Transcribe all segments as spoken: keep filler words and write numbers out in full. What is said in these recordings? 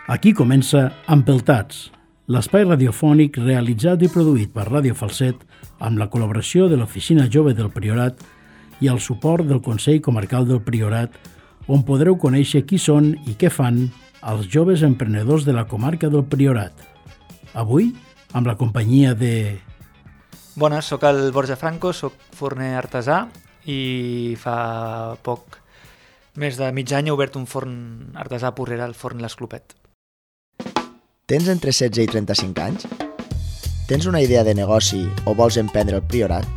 Aquí comença Empeltats, l'espai radiofònic realitzat i produït per Ràdio Falset amb la col·laboració de l'Oficina Jove del Priorat i el suport del Consell Comarcal del Priorat, on podreu conèixer qui són i què fan els joves emprenedors de la comarca del Priorat. Avui, amb la companyia de... Bones, sóc el Borja Franco, sóc forner artesà i fa poc, més de mig any, he obert un forn artesà a Porrera, el forn L'Esclopet. Tens entre setze i trenta-cinc anys? Tens una idea de negoci o vols emprendre el Priorat?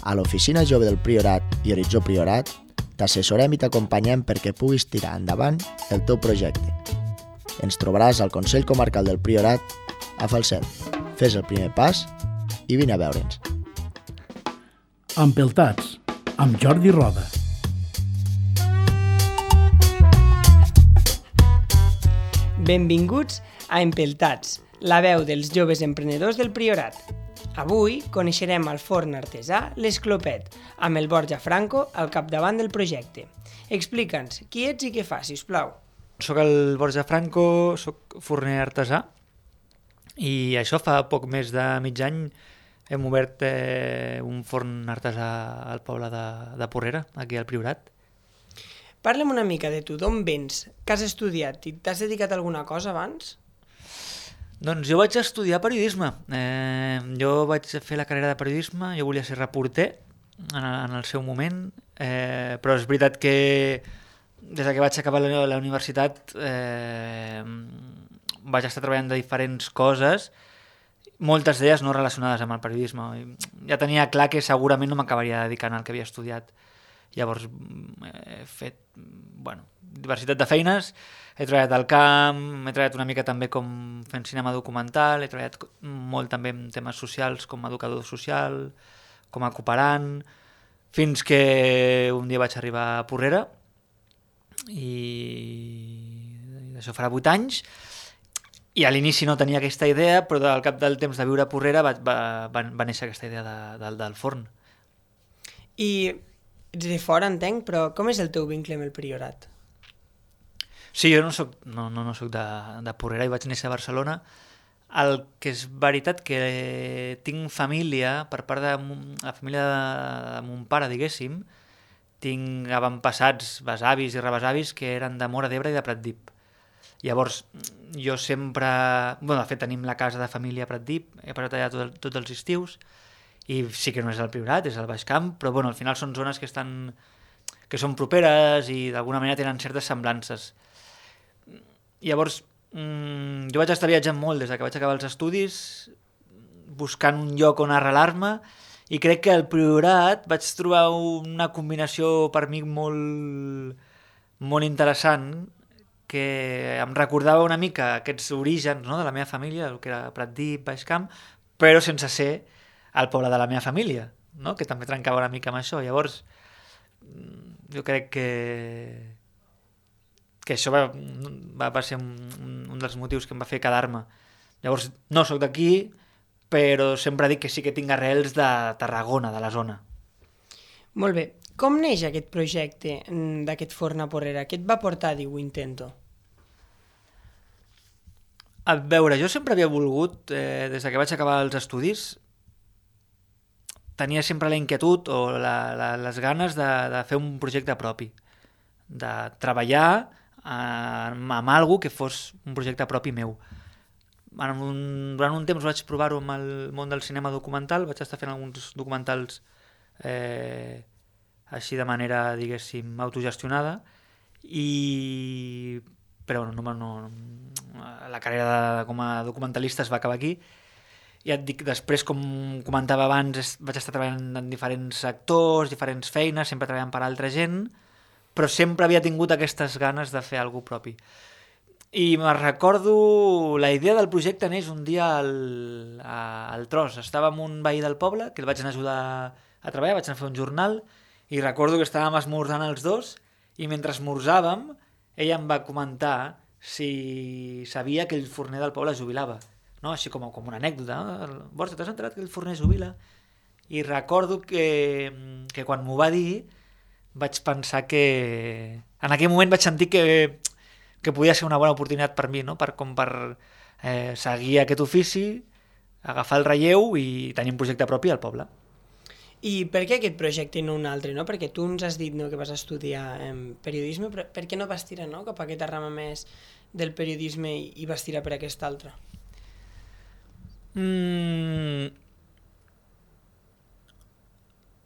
A l'Oficina Jove del Priorat i Horitzó Priorat t'assessorem i t'acompanyem perquè puguis tirar endavant el teu projecte. Ens trobaràs al Consell Comarcal del Priorat a Falset. Fes el primer pas i vine a veure'ns. Empeltats, amb Jordi Roda. Benvinguts a Empeltats, la veu dels joves emprenedors del Priorat. Avui coneixerem el forn artesà L'Esclopet, amb el Borja Franco al capdavant del projecte. Explica'ns qui ets i què fas, sisplau. Soc el Borja Franco, soc forner artesà i això fa poc més de mig any hem obert eh, un forn artesà al poble de, de Porrera, aquí al Priorat. Parla'm una mica de tu, d'on vens, què has estudiat i t'has dedicat a alguna cosa abans? Doncs jo vaig estudiar periodisme. Eh, jo vaig fer la carrera de periodisme, jo volia ser reporter en, en el seu moment, eh, però és veritat que des que vaig acabar la, la universitat eh, vaig estar treballant de diferents coses, moltes d'elles no relacionades amb el periodisme. Ja tenia clar que segurament no m'acabaria dedicant al que havia estudiat. Llavors he fet bueno, diversitat de feines, he treballat al camp, he treballat una mica també com fent cinema documental, he treballat molt també en temes socials com a educador social, com a cooperant, fins que un dia vaig arribar a Porrera i això farà vuit anys i a l'inici no tenia aquesta idea, però al cap del temps de viure a Porrera va, va, va, va néixer aquesta idea de, de, del forn. I ets de fora, entenc, però com és el teu vincle amb el Priorat? Sí, jo no soc, no, no, no soc de, de Porrera i vaig néixer a Barcelona. El que és veritat que tinc família, per part de la família de, de mon pare, diguéssim, tinc avantpassats, besavis i rebesavis que eren de Móra d'Ebre i de Pratdip. Llavors, jo sempre... Bueno, de fet, tenim la casa de família a Pratdip, he passat allà tot, tots els estius, i sí que no és el Priorat, és el Baix Camp, però bueno, al final són zones que estan que són properes i d'alguna manera tenen certes semblances. Llavors, mmm, jo vaig estar viatjant molt des que vaig acabar els estudis, buscant un lloc on arrelar-me, i crec que al Priorat vaig trobar una combinació per mi molt, molt interessant, que em recordava una mica aquests orígens, no?, de la meva família, el que era Pratdip, Baix Camp, però sense ser al poble de la meva família, no?, que també trencava una mica amb això. Llavors, jo crec que, que això va, va, va ser un, un dels motius que em va fer quedar-me. Llavors, no sóc d'aquí, però sempre dic que sí que tinc arrels de Tarragona, de la zona. Molt bé. Com neix aquest projecte d'aquest forn a Porrera? Què et va portar a dir ho intento? A veure, jo sempre havia volgut, eh, des que vaig acabar els estudis, tenia sempre la inquietud o la, la, les ganes de, de fer un projecte propi, de treballar eh, amb algo que fos un projecte propi meu. En un, durant un temps vaig provar-ho amb el món del cinema documental, vaig estar fent alguns documentals eh, així de manera, diguéssim, autogestionada, i... però no, no, la carrera de, com a documentalista es va acabar aquí. Ja et dic, després, com comentava abans, vaig estar treballant en diferents sectors, diferents feines, sempre treballant per altra gent, però sempre havia tingut aquestes ganes de fer alguna cosa propi. I me'n recordo, la idea del projecte neix un dia al, al Tros. Estava amb un veí del poble, que el vaig anar a ajudar a treballar, vaig anar a fer un jornal, i recordo que estàvem esmorzant els dos, i mentre esmorzàvem, ella em va comentar si sabia que el forner del poble es jubilava. No? Així com, com una anècdota. No? Borja, t'has enterat que el forner es jubila? I recordo que, que quan m'ho va dir vaig pensar que... En aquell moment vaig sentir que, que podia ser una bona oportunitat per mi, no? Per, com per eh, seguir aquest ofici, agafar el relleu i tenir un projecte propi al poble. I per què aquest projecte i no un altre, no? Perquè tu ens has dit, no, que vas estudiar eh, periodisme, però per què no vas tirar, no, cap a aquesta rama més del periodisme i, i vas tirar per aquesta altra? Mm...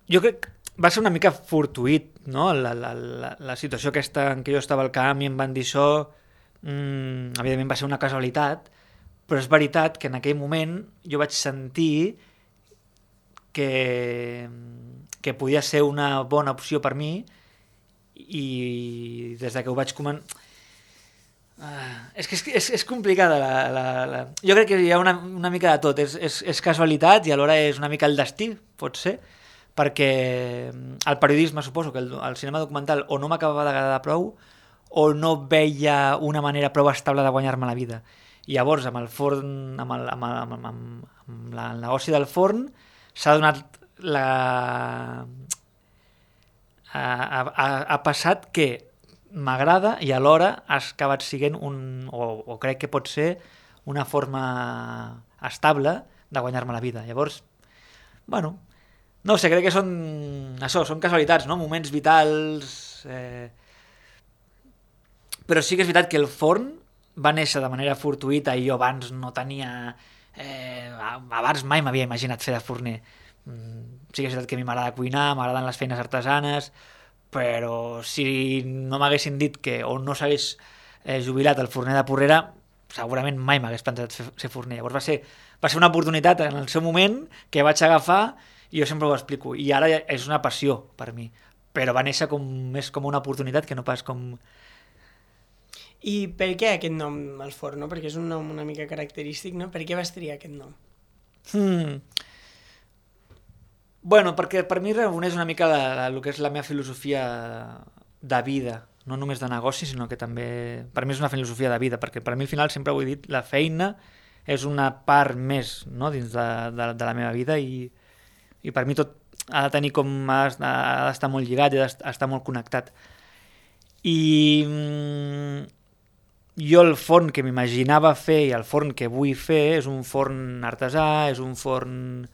Jo crec que va ser una mica fortuït, no? La, la, la, la situació aquesta en què jo estava al camp i em van dir això, mm, evidentment va ser una casualitat, però és veritat que en aquell moment jo vaig sentir que, que podia ser una bona opció per mi i des de que ho vaig començar... Uh, és que és, és, és complicada la, la, la... Jo crec que hi ha una, una mica de tot, és, és, és casualitat i alhora és una mica el destí, pot ser, perquè el periodisme, suposo que el, el cinema documental o no m'acabava d'agradar prou o no veia una manera prou estable de guanyar-me la vida. I llavors amb el forn, amb el, amb el, amb, amb, amb la, el negoci del forn s'ha donat la... Ha, ha, ha passat que m'agrada i alhora ha acabat siguent un, o, o crec que pot ser una forma estable de guanyar-me la vida. Llavors, bueno, no sé, crec que són això, són casualitats, no? Moments vitals, eh... però sí que és veritat que el forn va néixer de manera fortuïta i jo abans no tenia... Eh... abans mai m'havia imaginat fer de forner. Mm, sí que és veritat que a mi m'agrada cuinar, m'agraden les feines artesanes, però si no m'haguessin dit que o no s'hagués eh, jubilat el forner de Porrera, segurament mai m'hagués plantejat fer, ser forner. Llavors va ser, va ser una oportunitat en el seu moment que vaig agafar i jo sempre ho explico. I ara és una passió per mi, però va néixer com, més com una oportunitat que no pas com... I per què aquest nom, el forn, no? Perquè és un nom una mica característic, no? Per què vas triar aquest nom? Hmm... Bueno, perquè per mi reuneix una mica la, la, el que és la meva filosofia de vida, no només de negoci, sinó que també per mi és una filosofia de vida, perquè per mi al final sempre ho he dit, la feina és una part més, no? Dins de, de, de la meva vida i, i per mi tot ha de tenir com ha d'estar molt lligat i ha d'estar molt connectat. I mm, jo el forn que m'imaginava fer i el forn que vull fer és un forn artesà, és un forn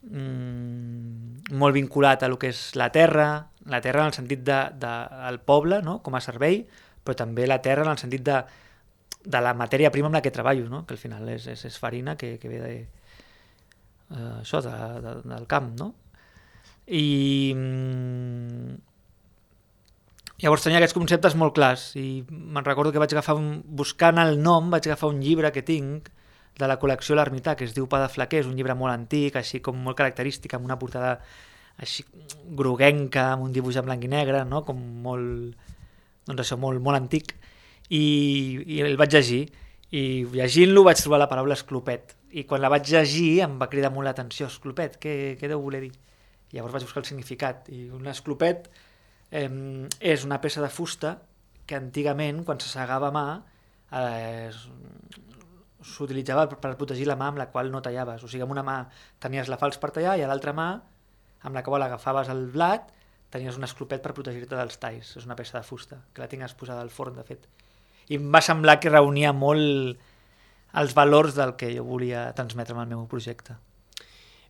Mm, molt vinculat a lo que és la terra, la terra en el sentit de, de, del poble, no? Com a servei, però també la terra en el sentit de, de la matèria prima amb la que treballo, no? Que al final és, és, és farina que, que ve de, uh, això, de, de, del camp, no? I mm, llavors tenia aquests conceptes molt clars i me'n recordo que vaig agafar un, buscant el nom, vaig agafar un llibre que tinc de la col·lecció L'Ermità, que es diu Pa de Flaquer, és un llibre molt antic, així com molt característic, amb una portada així groguenca, amb un dibuix en blanc i negre, no? Com molt, doncs això, molt, molt antic, i, i el vaig llegir, i llegint-lo vaig trobar la paraula esclopet, i quan la vaig llegir em va cridar molt l'atenció, esclopet, què, què deu voler dir? I llavors vaig buscar el significat, i un esclopet eh, és una peça de fusta que antigament, quan se segava a mà, eh, s'utilitzava per protegir la mà amb la qual no tallaves. O sigui, amb una mà tenies la falç per tallar i a l'altra mà, amb la qual agafaves el blat, tenies un esclopet per protegir-te dels talls. És una peça de fusta, que la tinc exposada al forn, de fet. I em va semblar que reunia molt els valors del que jo volia transmetre amb el meu projecte.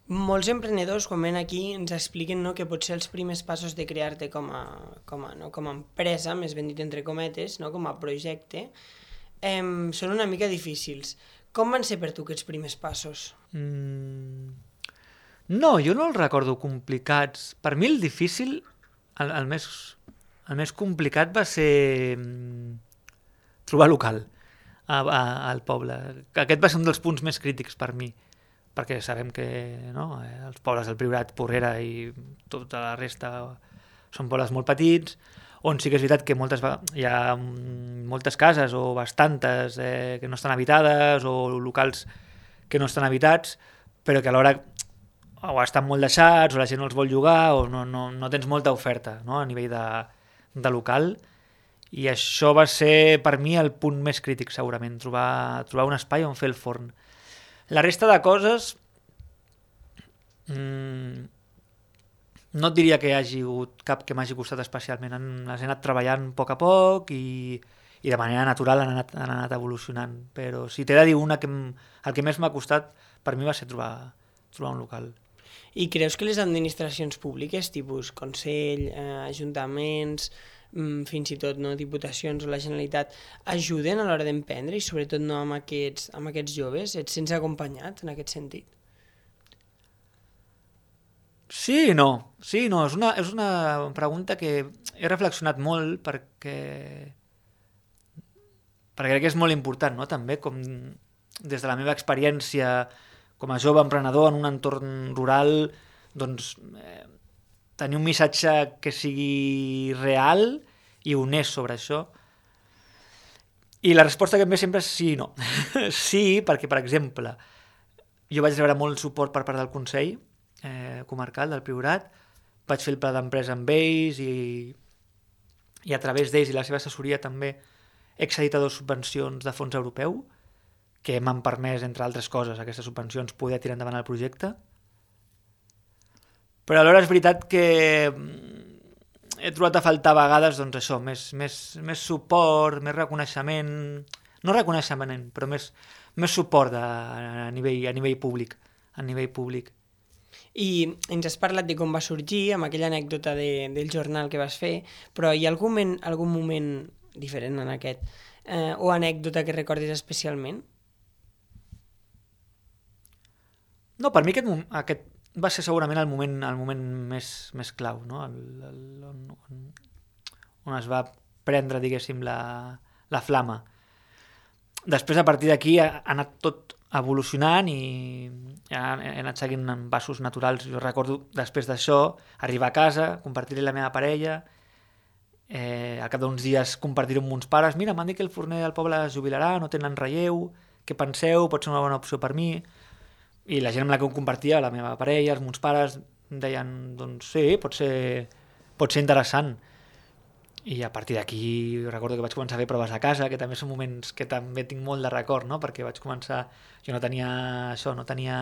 Molts emprenedors, quan ven aquí, ens expliquen, no, que potser els primers passos de crear-te com a, com a, no, com a empresa, més ben dit entre cometes, no, com a projecte, eh, són una mica difícils. Com van ser per tu aquests primers passos? Mm... No, jo no els recordo complicats. Per mi el difícil, el, el, més, el més complicat va ser mm, trobar local a, a, al poble. Aquest va ser un dels punts més crítics per mi, perquè sabem que no, els pobles del Priorat, Porrera i tota la resta són pobles molt petits, on sí que és veritat que moltes, hi ha moltes cases o bastantes eh, que no estan habitades o locals que no estan habitats, però que alhora o estan molt deixats o la gent no els vol llogar o no, no, no tens molta oferta, no, a nivell de, de local, i això va ser per mi el punt més crític segurament, trobar, trobar un espai on fer el forn. La resta de coses mmm, no et diria que hi hagi hagut cap que m'hagi costat especialment. Les he anat treballant a poc a poc i, i de manera natural han anat, han anat evolucionant. Però si t'he de dir una, que m- el que més m'ha costat per mi va ser trobar, trobar un local. I creus que les administracions públiques, tipus Consell, eh, ajuntaments, mm, fins i tot no, diputacions o la Generalitat, ajuden a l'hora d'emprendre i sobretot no amb aquests, amb aquests joves? Et sents acompanyat en aquest sentit? Sí i no. Sí i no. És una, és una pregunta que he reflexionat molt perquè perquè crec que és molt important, no? També com des de la meva experiència com a jove emprenedor en un entorn rural, doncs eh, tenir un missatge que sigui real i honest sobre això. I la resposta que em ve sempre és sí i no. Sí, perquè, per exemple, jo vaig rebre molt suport per part del Consell eh, Comarcal del Priorat, vaig fer el pla d'empresa amb ells i, i a través d'ells i la seva assessoria també he accedit a dues subvencions de fons europeu que m'han permès, entre altres coses, aquestes subvencions, poder tirar endavant el projecte. Però alhora és veritat que he trobat a faltar a vegades doncs això, més, més, més suport, més reconeixement, no reconeixement, però més, més suport de, a, nivell, a nivell públic, a nivell públic. I ens has parlat de com va sorgir, amb aquella anècdota de, del jornal que vas fer, però hi ha algun moment, algun moment diferent en aquest, eh, o anècdota que recordis especialment? No, per mi aquest, aquest va ser segurament el moment, el moment més, més clau, no? el, el, on, on, on es va prendre, diguéssim, la, la flama. Després, a partir d'aquí, ha, ha anat tot evolucionant i ja he anat seguint en passos naturals. Jo recordo, després d'això, arribar a casa, compartir-hi la meva parella, eh, al cap d'uns dies compartir-ho amb uns pares. Mira, m'han dit que el forner del poble es jubilarà, no tenen relleu, què penseu? Pot ser una bona opció per mi? I la gent amb la que ho compartia, la meva parella, els meus pares, deien, doncs sí, pot ser, pot ser interessant. I a partir d'aquí recordo que vaig començar a fer proves a casa, que també són moments que també tinc molt de record, no? Perquè vaig començar, jo no tenia això, no tenia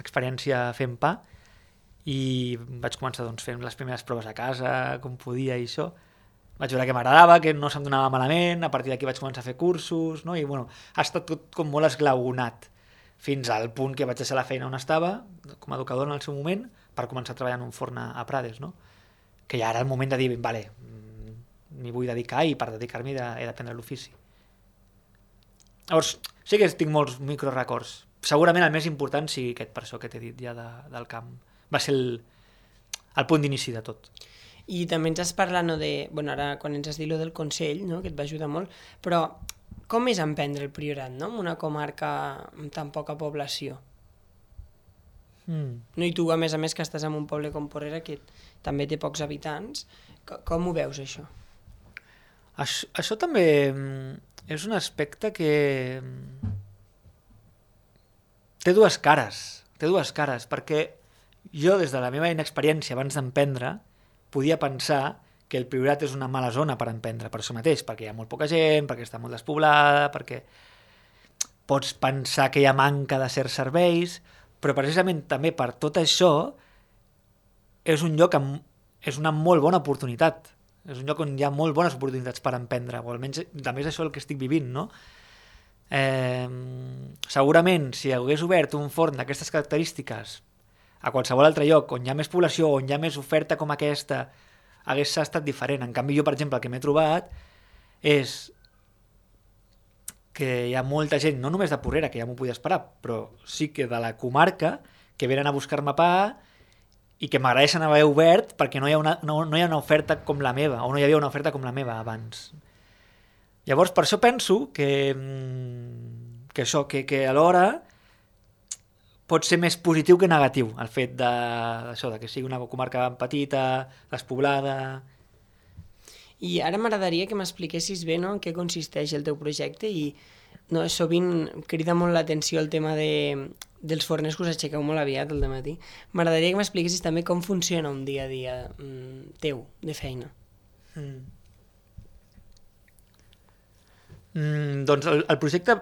experiència fent pa, i vaig començar doncs, fent les primeres proves a casa, com podia i això. Vaig veure que m'agradava, que no se'm donava malament, a partir d'aquí vaig començar a fer cursos, no? I bueno, ha estat tot com molt esglaonat, fins al punt que vaig deixar la feina on estava, com a educador en el seu moment, per començar a treballar en un forn a, a Prades, no? Que ja era el moment de dir, vale, m'hi vull dedicar i per dedicar-m'hi de, he d'aprendre l'ofici. Llavors, sí que tinc molts microrecords. Segurament el més important sigui aquest, per això que t'he dit ja de, del camp. Va ser el, el punt d'inici de tot. I també ens has parlat, no, de... Bueno, ara quan ens has dit lo del Consell, no?, que et va ajudar molt, però com és emprendre el Priorat, no?, en una comarca amb tan poca població? Mm. No, i tu, a més a més, que estàs en un poble com Porrera, que també té pocs habitants, com, com ho veus, això? Això, això també és un aspecte que té dues cares, té dues cares, perquè jo, des de la meva inexperiència abans d'emprendre, podia pensar que el Priorat és una mala zona per emprendre, per això mateix, perquè hi ha molt poca gent, perquè està molt despoblada, perquè pots pensar que hi ha manca de certs serveis, però precisament també per tot això és un lloc amb, és una molt bona oportunitat. És un lloc on hi ha molt bones oportunitats per emprendre, o almenys també és això el que estic vivint, no? Eh, segurament, si hagués obert un forn d'aquestes característiques a qualsevol altre lloc on hi ha més població, on hi ha més oferta com aquesta, hagués estat diferent. En canvi, jo, per exemple, el que m'he trobat és que hi ha molta gent, no només de Porrera, que ja m'ho podia esperar, però sí que de la comarca, que venen a buscar-me pa i que m'agraeixen haver obert perquè no hi ha una, no, no hi ha una oferta com la meva, o no hi havia una oferta com la meva abans. Llavors, per això penso que, que això, que, que alhora pot ser més positiu que negatiu, el fet de, això, de que sigui una comarca petita, despoblada. I ara m'agradaria que m'expliquessis bé, no?, en què consisteix el teu projecte i, no, sovint crida molt l'atenció el tema de, dels forners que us aixequeu molt aviat al dematí. M'agradaria que m'expliquessis també com funciona un dia a dia mm, teu, de feina. Mm. Mm, doncs el, el projecte,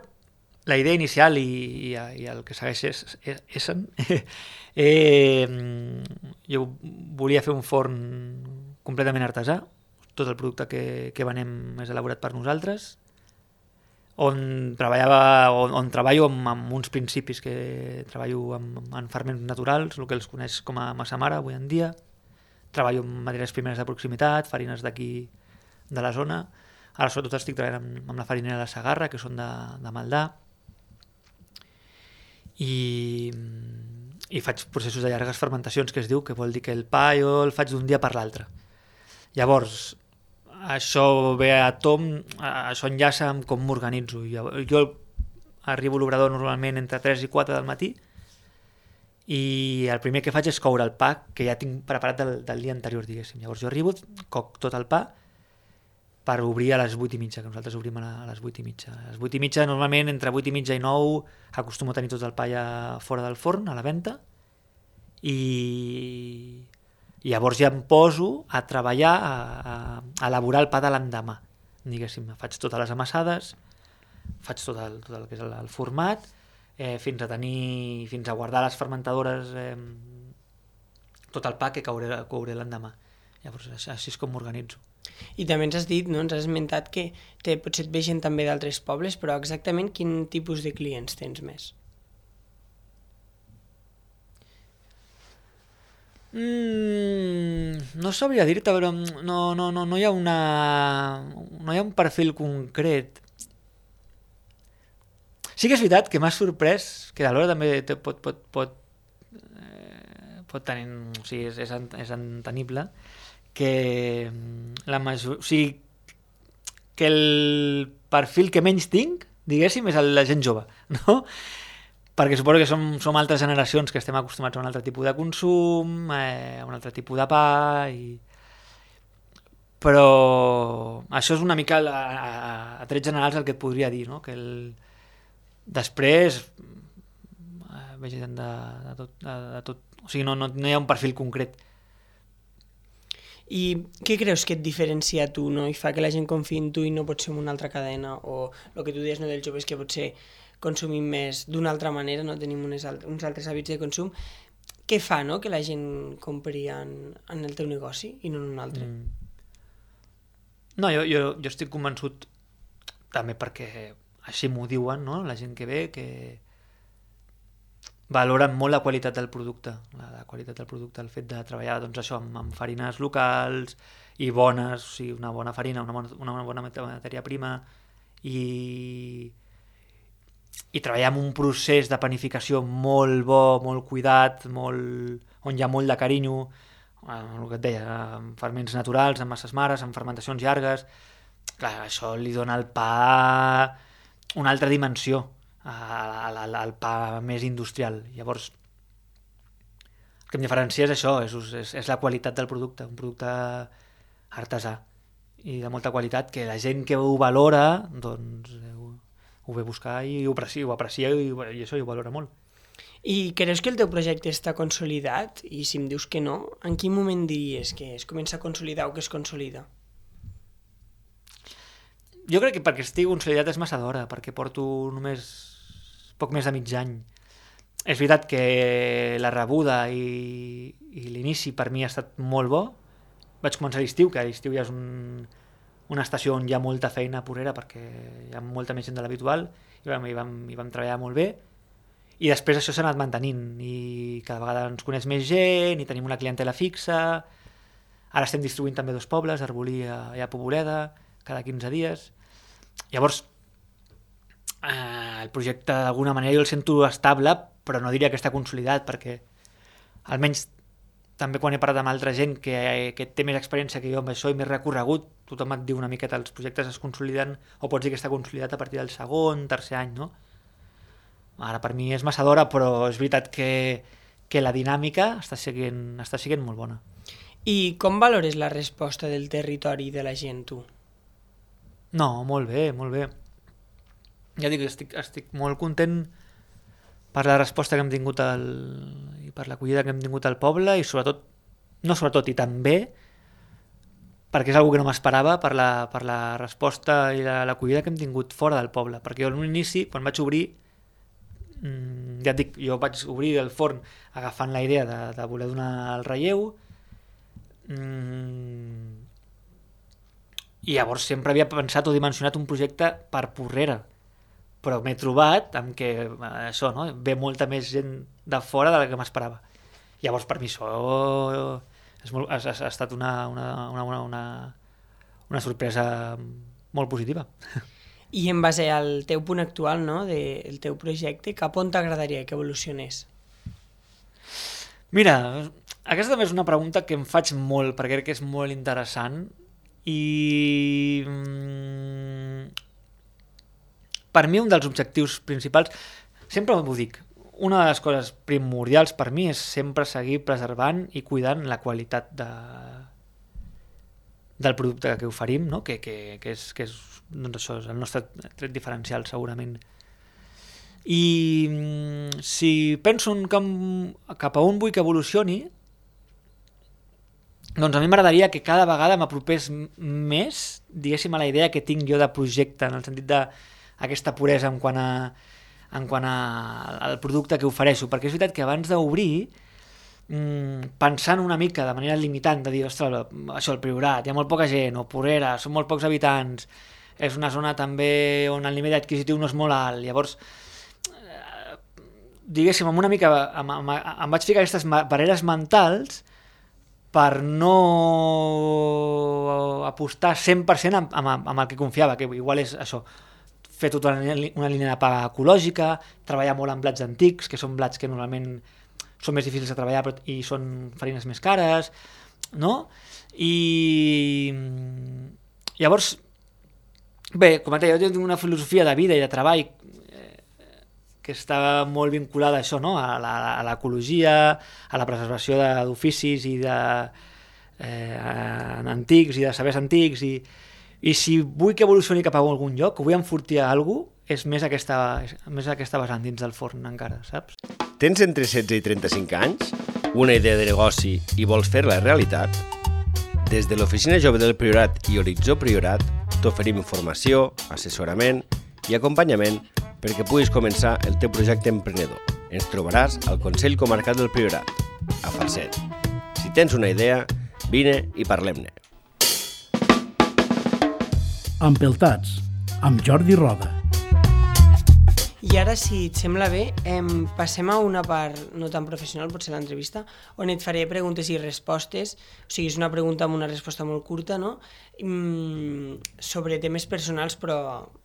la idea inicial i, i, i el que segueix és, és, és eh, jo volia fer un forn completament artesà, tot el producte que, que venem és elaborat per nosaltres, on treballava, on, on treballo amb, amb uns principis que treballo amb, amb ferments naturals, el que els coneix com a massa mare avui en dia. Treballo amb matèries primeres de proximitat, farines d'aquí de la zona. Ara sobretot estic treballant amb, amb la farinera de Segarra, que són de, de Maldà. I, i faig processos de llargues fermentacions, que es diu, que vol dir que el pa jo el faig d'un dia per l'altre. Llavors, això ve a tom, això enllaça amb com m'organitzo. Jo, jo arribo a l'obrador normalment entre tres i quatre del matí i el primer que faig és coure el pa que ja tinc preparat del, del dia anterior, diguéssim. Llavors jo arribo, coc tot el pa per obrir a les vuit i mitja, que nosaltres obrim a les vuit i mitja. A les vuit i mitja, normalment, entre vuit i mitja i nou, acostumo a tenir tot el pa ja fora del forn, a la venta, i... I llavors ja em poso a treballar, a, a, a elaborar el pa de l'endemà. Diguéssim, faig totes les amassades, faig tot el, tot el que és el, el format, eh, fins a tenir, fins a guardar les fermentadores eh, tot el pa que cauré, cauré l'endemà. Llavors, així és com m'organitzo. I també ens has dit, no? Ens has esmentat que té, potser et ve gent també d'altres pobles, però exactament quin tipus de clients tens més? Mm, no sabria dir-te, però no, no, no, no hi ha una no hi ha un perfil concret. Sí que és veritat que m'ha sorprès, que alhora també te pot pot, pot, eh, pot tenir, o sigui, és, és, és entenible, que la major, o sigui, que el perfil que menys tinc, diguéssim, és el, la gent jove, no? Perquè suposo que som, som altres generacions que estem acostumats a un altre tipus de consum, eh, a un altre tipus de pa, i... però això és una mica a, a, a trets generals el que et podria dir, no? Que el... després eh, veig gent de, de, tot, de, de tot, o sigui, no, no, no hi ha un perfil concret. I què creus que et diferencia a tu, no? I fa que la gent confiï en tu i no pot ser en una altra cadena, o el que tu deies, no, dels joves, que potser consumim més d'una altra manera, no? Tenim unes alt uns altres hàbits de consum. Què fa, no?, que la gent compri en, en el teu negoci i no en un altre? Mm. No, jo, jo, jo estic convençut també perquè així m'ho diuen, no? La gent que ve, que valoren molt la qualitat del producte, la, la qualitat del producte, el fet de treballar, doncs, això, amb, amb farines locals i bones, o sigui, una bona farina, una bona, una bona matèria prima, i i treballar en un procés de panificació molt bo, molt cuidat, molt... on hi ha molt de carinyo, el que et deia, amb ferments naturals, amb masses mares, amb fermentacions llargues. Clar, això li dona al pa una altra dimensió, al, al, al pa més industrial. Llavors, el que em diferencia és això, és, és, és la qualitat del producte, un producte artesà i de molta qualitat, que la gent que ho valora, doncs... ho ve buscar i ho aprecia, ho aprecia i, i això ho valora molt. I creus que el teu projecte està consolidat? I si em dius que no, en quin moment diries que es comença a consolidar o que es consolida? Jo crec que perquè estigui consolidat és massa d'hora, perquè porto només poc més de mig any. És veritat que la rebuda i, i l'inici per mi ha estat molt bo. Vaig començar a l'estiu, que a l'estiu ja és un... una estació on hi ha molta feina porrera perquè hi ha molta més gent de l'habitual i vam, i vam, i vam treballar molt bé, i després això s'ha anat mantenint i cada vegada ens coneix més gent i tenim una clientela fixa. Ara estem distribuint també dos pobles, Arbolí i a, a Poboleda, cada quinze dies. Llavors eh, el projecte d'alguna manera jo el sento estable, però no diria que està consolidat, perquè almenys també quan he parlat amb altra gent que, que té més experiència que jo amb això i més recorregut, tothom et diu una miqueta els projectes es consoliden, o pots dir que està consolidat a partir del segon, tercer any, no? Ara per mi és massa d'hora, però és veritat que, que la dinàmica està siguent, està siguent molt bona. I com valores la resposta del territori de la gent, tu? No, molt bé, molt bé. Ja dic, estic, estic molt content per la resposta que hem tingut al, i per l'acollida que hem tingut al poble, i sobretot, no sobretot, i també perquè és una que no m'esperava, per la, per la resposta i l'acollida que hem tingut fora del poble, perquè jo a l'inici, quan vaig obrir, mmm, ja et dic, jo vaig obrir el forn agafant la idea de, de voler donar el relleu, mmm, i llavors sempre havia pensat o dimensionat un projecte per Porrera, però m'he trobat amb que eh, això, no? Ve molta més gent de fora de la que m'esperava. Llavors, per mi això és molt, ha, ha estat una, una, una, una, una, una sorpresa molt positiva. I en base al teu punt actual, no?, del teu projecte, cap on t'agradaria que evolucionés? Mira, aquesta també és una pregunta que em faig molt, perquè crec que és molt interessant i mm, per mi un dels objectius principals, sempre m'ho dic, una de les coses primordials per mi és sempre seguir preservant i cuidant la qualitat de, del producte que oferim, no? que, que, que, és, que és, doncs això és el nostre tret diferencial segurament. I si penso en cap, cap a on vull que evolucioni, doncs a mi m'agradaria que cada vegada m'apropés més, diguéssim, a la idea que tinc jo de projecte, en el sentit d'aquesta puresa en quant a en quant a, al producte que ofereixo, perquè és veritat que abans d'obrir, mmm, pensant una mica de manera limitant, de dir, ostres, això, el Priorat, hi ha molt poca gent, o Porrera, són molt pocs habitants, és una zona també on el nivell adquisitiu no és molt alt, llavors, eh, diguéssim, amb una mica, em, em, em vaig ficar aquestes barreres mentals per no apostar cent per cent amb, amb, amb el que confiava, que igual és això, fer tota una, una línia de paga ecològica, treballar molt amb blats antics, que són blats que normalment són més difícils de treballar però, i són farines més cares, no? I llavors, bé, com et deia, jo tinc una filosofia de vida i de treball eh, que està molt vinculada a això, no? A la, a l'ecologia, a la preservació d'oficis i de eh, antics i de sabers antics i I si vull que evolucioni cap a algun lloc, o vull enfortir a alguna cosa, és més aquesta, més aquesta vessant dins del forn encara, saps? Tens entre setze i trenta-cinc anys? Una idea de negoci i vols fer-la realitat? Des de l'Oficina Jove del Priorat i Horitzó Priorat t'oferim informació, assessorament i acompanyament perquè puguis començar el teu projecte emprenedor. Ens trobaràs al Consell Comarcal del Priorat, a Falset. Si tens una idea, vine i parlem-ne. Empeltats, amb Jordi Roda. I ara, si et sembla bé, em passem a una part no tan professional, potser l'entrevista, on et faré preguntes i respostes, o sigui, és una pregunta amb una resposta molt curta, no? Mm, sobre temes personals, però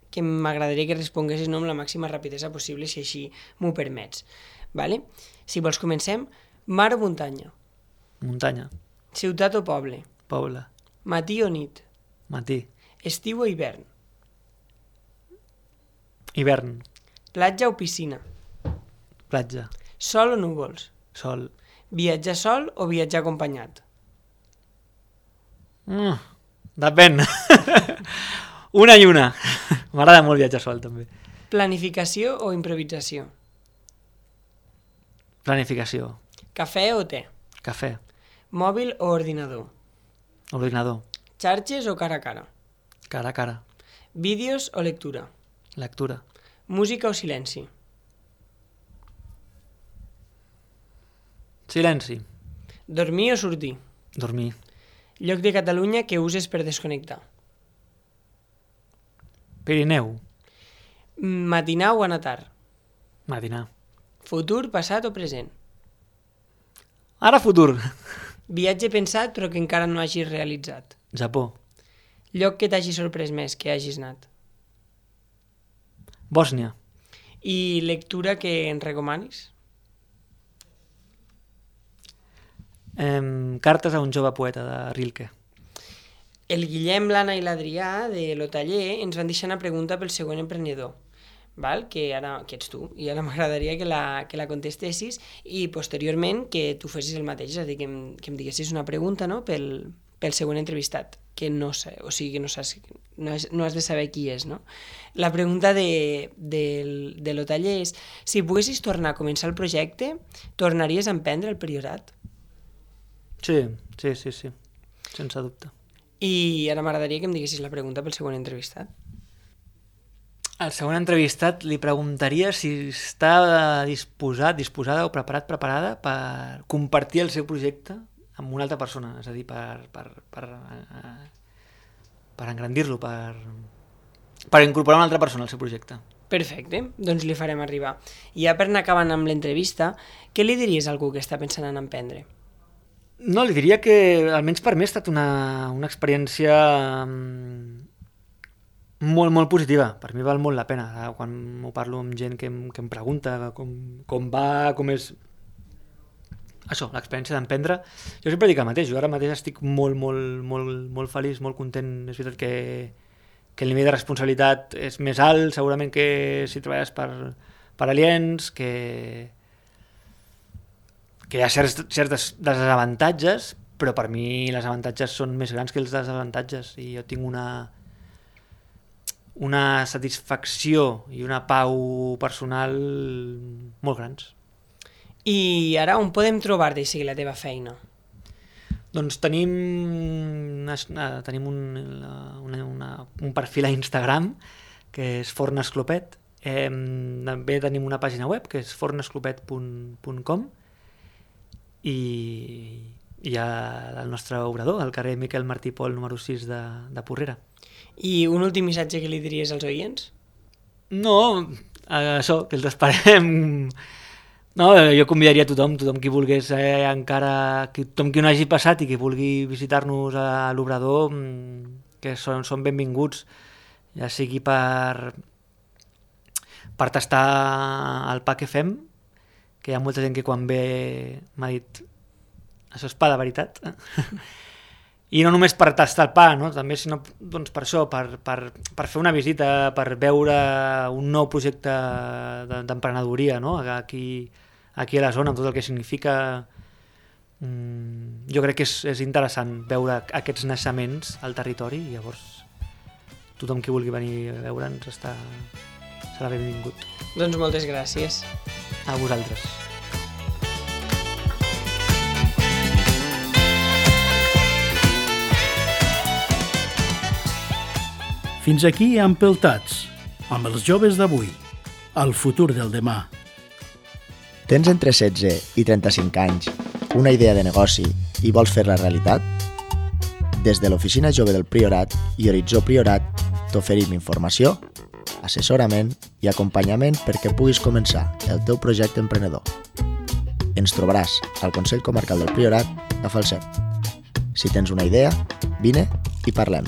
que m'agradaria que responguessis no, amb la màxima rapidesa possible, si així m'ho permets. Vale? Si vols, comencem. Mar o muntanya? Muntanya. Ciutat o poble? Poble. Matí o nit? Matí. Estiu o hivern? Hivern. Platja o piscina? Platja. Sol o núvols? Sol. Viatjar sol o viatjar acompanyat? Mm, depèn. Una i una. M'agrada molt viatjar sol, també. Planificació o improvisació? Planificació. Cafè o te? Cafè. Mòbil o ordinador? Ordinador. Xarxes o cara a cara? Cara a cara. Vídeos o lectura? Lectura. Música o silenci? Silenci. Dormir o sortir? Dormir. Lloc de Catalunya que uses per desconnectar? Pirineu. Matinar o anatar? Matinar. Futur, passat o present? Ara futur. Viatge pensat però que encara no hagis realitzat? Japó. Lloc que t'hagi sorprès més, que hagis anat? Bòsnia. I lectura que ens recomanis? Em, cartes a un jove poeta, de Rilke. El Guillem, l'Anna i l'Adrià de Lo Taller ens van deixar una pregunta pel següent emprenedor, val? Que ara que ets tu, i ara m'agradaria que la, que la contestessis i posteriorment que tu fessis el mateix, és a dir, que em, que em diguessis una pregunta, no?, pel, pel següent entrevistat, que no sé, o sigui, que no saps, no, és, no has de saber qui és, no? La pregunta de, de, de Lo Taller és, si poguessis tornar a començar el projecte, tornaries a emprendre el Priorat? Sí, sí, sí, sí, sense dubte. I ara m'agradaria que em diguessis la pregunta pel següent entrevistat. Al següent entrevistat li preguntaria si està disposat, disposada o preparat, preparada per compartir el seu projecte amb una altra persona, és a dir, per, per, per, per engrandir-lo, per, per incorporar una altra persona al seu projecte. Perfecte, doncs li farem arribar. I ja per anar acabant amb l'entrevista, què li diries a algú que està pensant en emprendre? No, li diria que almenys per mi ha estat una, una experiència molt, molt positiva. Per mi val molt la pena. Quan m'ho parlo amb gent que em, que em pregunta com, com va, com és... Això, l'experiència d'emprendre. Jo sempre dic el mateix, jo ara mateix estic molt, molt, molt, molt feliç, molt content. És veritat que, que el nivell de responsabilitat és més alt, segurament que si treballes per, per aliens, que, que hi ha certs, certs desavantatges, però per mi les avantatges són més grans que els desavantatges i jo tinc una, una satisfacció i una pau personal molt grans. I ara on podem trobar-te i seguir la teva feina? Doncs tenim, tenim un, una, una, un perfil a Instagram que és fornesclopet. Eh, també tenim una pàgina web que és fornesclopet punt com i hi ha el nostre obrador al carrer Miquel Martí Pol número sis de, de Porrera. I un últim missatge que li diries als oients? No, això, que els esperem... No, jo convidaria a tothom, tothom qui volgués eh, encara, tothom qui no hagi passat i qui vulgui visitar-nos a l'Obrador, que són, són benvinguts, ja sigui per, per tastar el pa que fem, que hi ha molta gent que quan ve m'ha dit això és pa de veritat, i no només per tastar el pa, no? També sinó doncs per això, per, per, per fer una visita, per veure un nou projecte d'emprenedoria, no? Aquí, aquí a la zona, amb tot el que significa. Mm, jo crec que és, és interessant veure aquests naixements al territori i llavors tothom qui vulgui venir a veure'ns està, serà benvingut. Doncs moltes gràcies. A vosaltres. Fins aquí Empeltats, amb els joves d'avui, el futur del demà. Tens entre setze i trenta-cinc anys, una idea de negoci i vols fer-la realitat? Des de l'Oficina Jove del Priorat i Horitzó Priorat t'oferim informació, assessorament i acompanyament perquè puguis començar el teu projecte emprenedor. Ens trobaràs al Consell Comarcal del Priorat a Falset. Si tens una idea, vine i parlem.